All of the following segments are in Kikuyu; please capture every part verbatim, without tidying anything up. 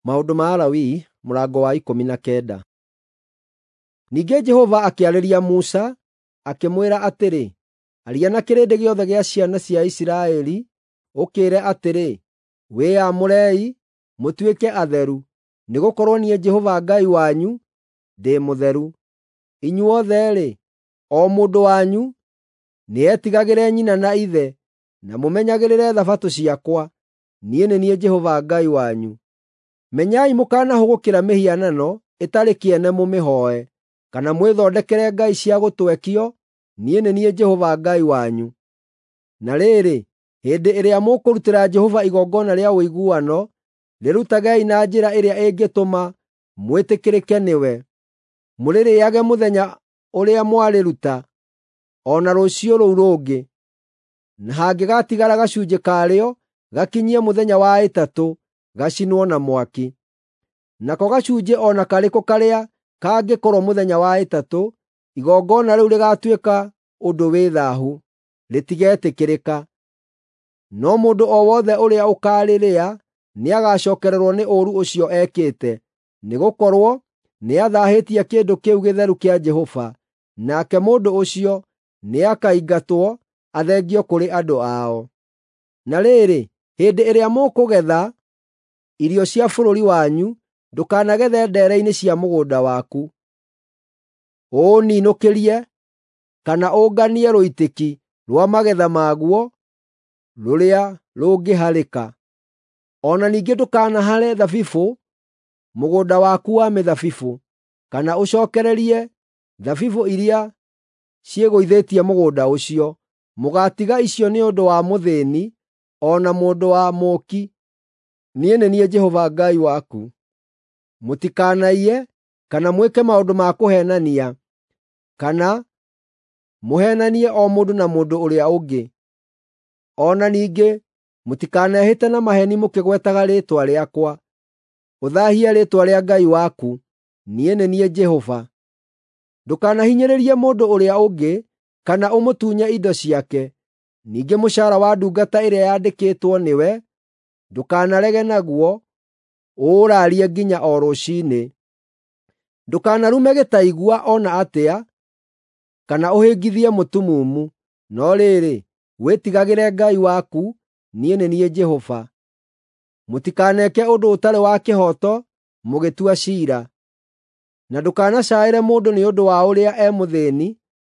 Maũndũ ma Alawii mũrango wa ikũmi na kenda. Ningĩ Jehova akĩarĩria Musa, akĩmwĩra atĩrĩ, “Aria na kĩrĩndĩ gĩothe gĩa ciana cia Isiraeli, ũkĩĩre atĩrĩ, ‘Wĩyamũrei, mũtuĩke atheru, nĩgũkorwo niĩ Jehova Ngai wanyu ndĩ mũtheru. Inyuothe-rĩ, o mũndũ wanyu nĩetigagĩre nyina na ithe, na mũmenyagĩrĩre Thabatũ ciakwa. Niĩ nĩ niĩ Jehova Ngai wanyu. Menyai mũkanahũgũkĩra mĩhianano ĩtarĩ kĩene mũmĩhooe, kana mwĩthondekere ngai cia gũtwekio. Niĩ nĩ niĩ Jehova Ngai wanyu. Na rĩrĩ, hĩndĩ ĩrĩa mũkũrutĩra Jehova igongona rĩa ũiguano, rĩrutagei na njĩra ĩrĩa ĩngĩtũma mwĩtĩkĩrĩke nĩwe. Mũrĩrĩĩage mũthenya ũrĩa mwarĩruta, o na rũciũ rũu rũngĩ, na hangĩgatigara gacunjĩ karĩo gakinyie mũthenya wa ĩtatũ, gacinwo na mwaki. Nako gacunjĩ o na karĩkũ karĩa kangĩkorwo mũthenya wa ĩtatũ, igongona rĩu rĩgaatuĩka ũndũ wĩ thaahu, rĩtigetĩkĩrĩka. No mũndũ o wothe ũrĩa ũkaarĩrĩa nĩagacookererwo nĩ ũũru ũcio ekĩte, nĩgũkorwo nĩathaahĩtie kĩndũ kĩu gĩtheru kĩa Jehova, nake mũndũ ũcio nĩakaingatwo athengio kũrĩ andũ ao. Na rĩrĩ, hĩndĩ ĩrĩa mũkũgetha irio cia bũrũri wanyu, ndũkanagethe ndeere-inĩ cia mũgũnda waku, ũũninũkĩrie kana ũnganie rũitĩki rwa magetha maguo rũrĩa rũngĩharĩka. O na ningĩ ndũkanahare thabibũ mũgũnda waku wa mĩthabibũ, kana ũcookererie thabibũ iria ciĩgũithĩtie mũgũnda ũcio. Mũgaatiga icio nĩ ũndũ wa mũthĩĩni o na mũndũ wa mũũki. Niĩ nĩ niĩ Jehova Ngai waku. Mũtikanaiye kana mwĩke maũndũ ma kũheenania, kana mũheenanie o mũndũ na mũndũ ũrĩa ũngĩ. O na ningĩ mũtikanehĩte na maheeni mũkĩgwetaga rĩĩtwa rĩakwa, ũthaahie rĩĩtwa rĩa Ngai waku. Niĩ nĩ niĩ Jehova. Ndũkanahinyĩrĩrie mũndũ ũrĩa ũngĩ kana ũmũtunye indo ciake. Ningĩ mũcaara wa ndungata ĩrĩa yandĩkĩtwo nĩwe ndũkanarege naguo, ũũrarie nginya o rũciinĩ. Ndũkanarume gĩtaigua o na atĩa, kana ũhĩngithie mũtumumu. No rĩrĩ, wĩtigagĩre Ngai waku. Niĩ nĩ niĩ Jehova. Mũtikaneke ũndũ ũtarĩ wa kĩhooto mũgĩtua ciira. Na ndũkanacaĩre mũndũ nĩ ũndũ wa ũrĩa e mũthĩĩni,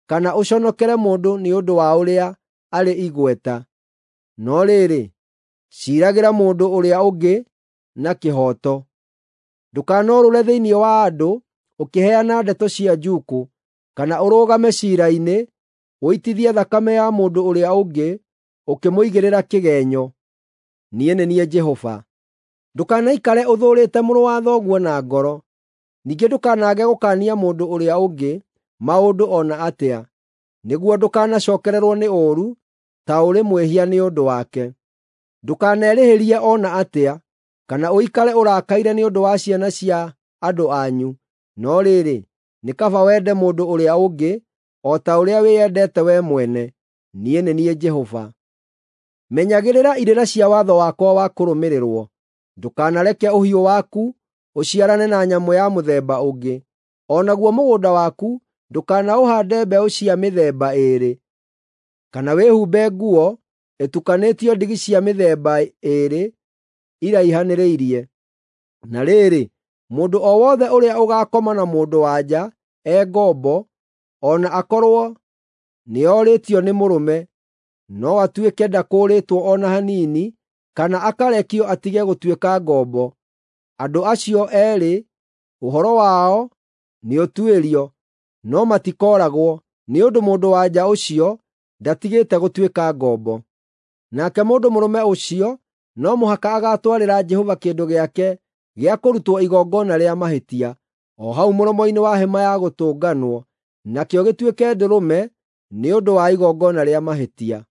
kana ũconokere mũndũ nĩ ũndũ wa ũrĩa arĩ igweta. No rĩrĩ, ciiragĩra mũndũ ũrĩa ũngĩ na kĩhooto. Ndũkanorũũre thĩinĩ wa andũ ũkĩheana ndeto cia njuukũ, kana ũrũgame ciira-inĩ ũitithie thakame ya mũndũ ũrĩa ũngĩ ũkĩmũigĩrĩra kĩgeenyo. Niĩ nĩ niĩ Jehova. Ndũkanaikare ũthũũrĩte mũrũ wa thoguo na ngoro. Ningĩ ndũkanaage gũkaania mũndũ ũrĩa ũngĩ maũndũ o na atĩa, nĩguo ndũkanacookererwo nĩ ũũru ta ũrĩ mwĩhia nĩ ũndũ wake. Ndũkanerĩhĩrie o na atĩa, kana ũikare ũrakaire nĩ ũndũ wa ciana cia andũ anyu. No rĩrĩ, nĩ kaba wende mũndũ ũrĩa ũngĩ o ta ũrĩa wĩyendete wee mwene. Niĩ nĩ niĩ Jehova. Menyagĩrĩra irĩra cia watho wakwa wa kũrũmĩrĩrwo. Ndũkanareke ũhiũ waku ũciarane na nyamũ ya mũthemba ũngĩ. O naguo mũgũnda waku ndũkanaũhaande mbeũ cia mĩthemba ĩĩrĩ, kana wĩhumbe nguo ĩtukanĩtio ndigi cia mĩthemba ĩĩrĩ iraihanĩrĩirie. Na rĩrĩ, mũndũ o wothe ũrĩa ũgaakoma na mũndũ-wa-nja e ngombo, o na akorwo nĩorĩtio nĩ mũrũme, no atuĩke ndakũũrĩtwo o na hanini, kana akarekio atige gũtuĩka ngombo, andũ acio eerĩ ũhoro wao nĩũtuĩrio, no matikooragwo, nĩ ũndũ mũndũ-wa-nja ũcio ndatigĩte gũtuĩka ngombo. Nake mũndũ mũrũme ũcio no mũhaka agaatwarĩra Jehova kĩndũ gĩake gĩa kũrutwo igongona rĩa mahĩtia, o hau mũromo-inĩ wa Hema-ya-Gũtũnganwo, nakĩo gĩtuĩke ndũrũme nĩ ũndũ wa igongona rĩa mahĩtia.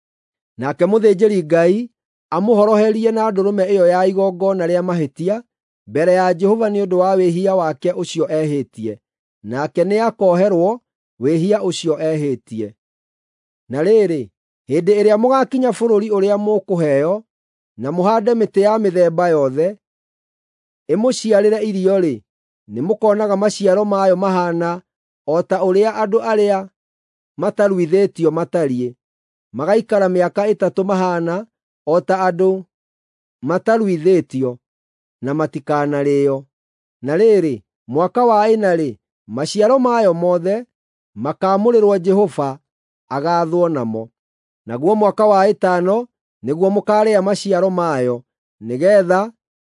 Nake mũthĩnjĩri-Ngai amũhoroherie na ndũrũme ĩyo ya igongona rĩa mahĩtia mbere ya Jehova nĩ ũndũ wa wĩhia wake ũcio ehĩtie, nake nĩakoherwo wĩhia ũcio ehĩtie. Na rĩrĩ, hĩndĩ ĩrĩa mũgaakinya bũrũri ũrĩa mũkũheo, na mũhaande mĩtĩ ya mĩthemba yothe, ĩmũciarĩre irio-rĩ, nĩmũkonaga maciaro mayo mahaana o ta ũrĩa andũ arĩa mataruithĩtio matariĩ, magaikara mĩaka ĩtatũ mahaana o ta andũ mataruithĩtio, na matikanarĩĩo. Na rĩrĩ, mwaka wa ĩna-rĩ, maciaro mayo mothe makaamũrĩrwo Jehova agaathwo namo. Naguo mwaka wa ĩtano nĩguo mũkaarĩa maciaro mayo, nĩgeetha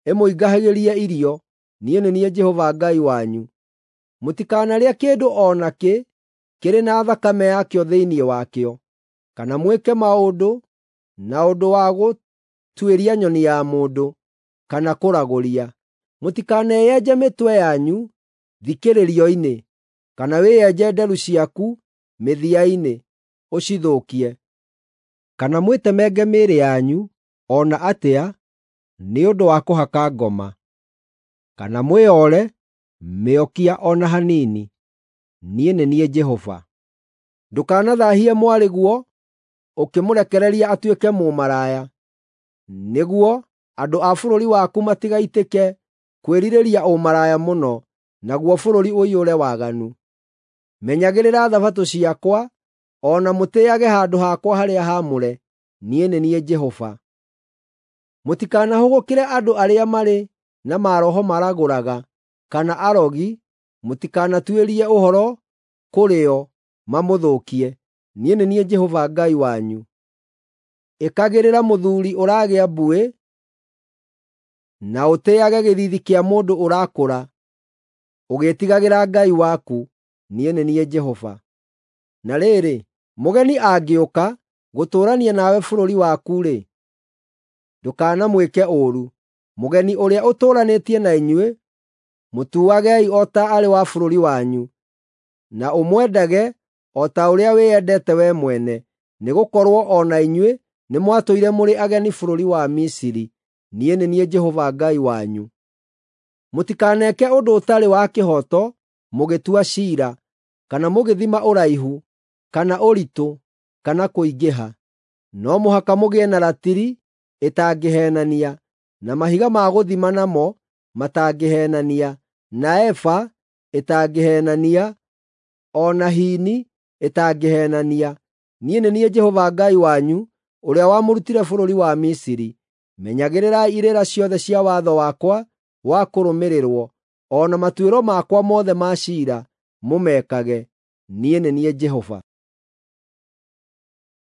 ĩmũingĩhagĩrie irio. Niĩ nĩ niĩ Jehova Ngai wanyu. Mũtikanarĩe kĩndũ o nakĩ kĩrĩ na thakame yakĩo thĩinĩ wakĩo, kana mwĩke maũndũ na ũndũ wa gũtuĩria nyoni ya mũndũ, kana kũragũria. Mũtikaneyenje mĩtwe yanyu thikĩrĩrio-inĩ, kana wĩyenje nderu ciaku mĩthia-inĩ ũcithũkie, kana mwĩtemenge mĩĩrĩ yanyu o na atĩa nĩ ũndũ wa kũhaka ngoma, kana mwĩoore mĩokia o na hanini. Niĩ nĩ niĩ Jehova. Ndũkanathaahie mwarĩguo ũkĩmũrekereria atuĩke mũmaraya, nĩguo andũ a bũrũri waku matigaitĩke kwĩrirĩria ũmaraya mũno, naguo bũrũri ũiyũre waganu. Menyagĩrĩra Thabatũ ciakwa, o na mũtĩĩage handũ hakwa harĩa haamũre. Niĩ nĩ niĩ Jehova. Mũtikanahũgũkĩre andũ arĩa marĩ na maroho maragũraga kana arogi, mũtikanatuĩrie ũhoro kũrĩ o mamũthũkie. Niĩ nĩ niĩ Jehova Ngai wanyu. Ĩkagĩrĩra mũthuuri ũragĩa mbuĩ, na ũtĩĩage gĩthiithi kĩa mũndũ ũrakũra, ũgĩĩtigagĩra Ngai waku. Niĩ nĩ niĩ Jehova. Na rĩrĩ, mũgeni angĩũka gũtũũrania nawe bũrũri waku-rĩ, ndũkanamwĩke ũũru. Mũgeni ũrĩa ũtũũranĩtie na inyuĩ, mũtuagei o ta arĩ wa bũrũri wanyu, na ũmwendage o ta ũrĩa wĩyendete wee mwene, nĩgũkorwo o na inyuĩ nĩmwatũire mũrĩ ageni bũrũri wa Misiri. Niĩ nĩ niĩ Jehova Ngai wanyu. Mũtikaneke ũndũ ũtarĩ wa kĩhooto mũgĩtua ciira, kana mũgĩthima ũraihu, kana ũritũ, kana kũingĩha. No mũhaka mũgĩe na ratiri ĩtangĩheenania, na mahiga ma gũthima namo matangĩheenania, na eba ĩtangĩheenania, o na hini ĩtangĩheenania. Niĩ nĩ niĩ Jehova Ngai wanyu ũrĩa wamũrutire bũrũri wa Misiri. Menyagĩrĩrai irĩra ciothe cia watho wakwa wa kũrũmĩrĩrwo, o na matuĩro makwa mothe ma ciira mũmekage. Niĩ nĩ niĩ Jehova.